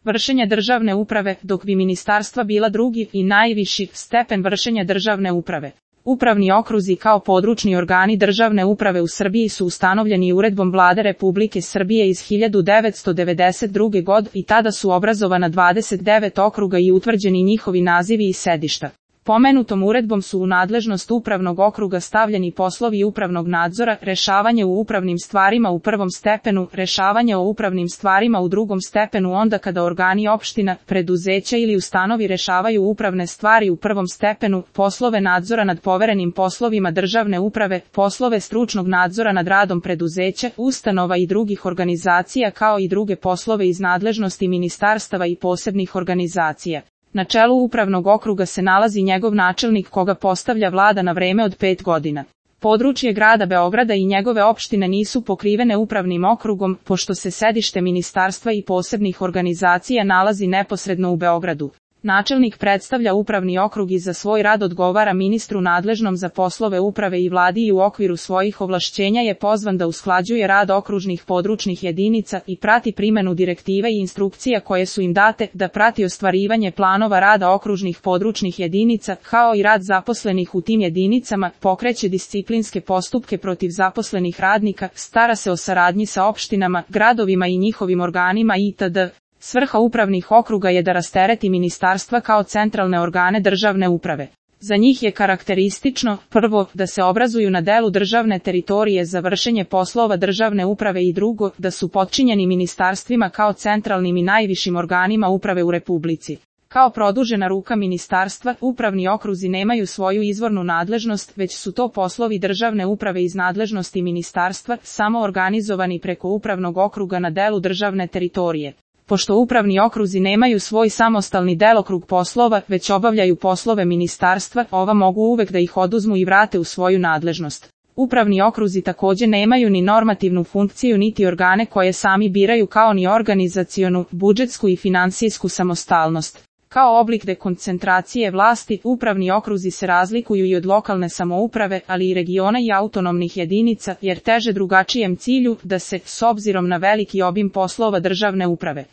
vršenja državne uprave, dok bi ministarstva bila drugi i najviši stepen vršenja državne uprave. Upravni okruzi kao područni organi državne uprave u Srbiji su ustanovljeni uredbom Vlade Republike Srbije iz 1992. godine i tada su obrazovana 29 okruga i utvrđeni njihovi nazivi i sedišta. Pomenutom uredbom su u nadležnost upravnog okruga stavljeni poslovi upravnog nadzora, rešavanje u upravnim stvarima u prvom stepenu, rešavanje o upravnim stvarima u drugom stepenu onda kada organi opština, preduzeća ili ustanovi rešavaju upravne stvari u prvom stepenu, poslove nadzora nad poverenim poslovima državne uprave, poslove stručnog nadzora nad radom preduzeća, ustanova i drugih organizacija kao i druge poslove iz nadležnosti ministarstava i posebnih organizacija. Na čelu upravnog okruga se nalazi njegov načelnik koga postavlja vlada na vreme od 5 godina. Područje grada Beograda i njegove opštine nisu pokrivene upravnim okrugom, pošto se sedište ministarstva i posebnih organizacija nalazi neposredno u Beogradu. Načelnik predstavlja upravni okrug i za svoj rad odgovara ministru nadležnom za poslove uprave i vladi i u okviru svojih ovlašćenja je pozvan da usklađuje rad okružnih područnih jedinica i prati primenu direktiva i instrukcija koje su im date, da prati ostvarivanje planova rada okružnih područnih jedinica, kao i rad zaposlenih u tim jedinicama, pokreće disciplinske postupke protiv zaposlenih radnika, stara se o saradnji sa opštinama, gradovima i njihovim organima itd. Svrha upravnih okruga je da rastereti ministarstva kao centralne organe državne uprave. Za njih je karakteristično, prvo, da se obrazuju na delu državne teritorije za vršenje poslova državne uprave i drugo, da su potčinjeni ministarstvima kao centralnim i najvišim organima uprave u Republici. Kao produžena ruka ministarstva, upravni okruzi nemaju svoju izvornu nadležnost, već su to poslovi državne uprave iz nadležnosti ministarstva, samo organizovani preko upravnog okruga na delu državne teritorije. Pošto upravni okruzi nemaju svoj samostalni delokrug poslova, već obavljaju poslove ministarstva, ova mogu uvek da ih oduzmu i vrate u svoju nadležnost. Upravni okruzi takođe nemaju ni normativnu funkciju niti organe koje sami biraju kao ni organizacionu, budžetsku i finansijsku samostalnost. Kao oblik dekoncentracije vlasti, upravni okruzi se razlikuju i od lokalne samouprave, ali i regiona i autonomnih jedinica, jer teže drugačijem cilju, da se, s obzirom na veliki obim poslova državne uprave,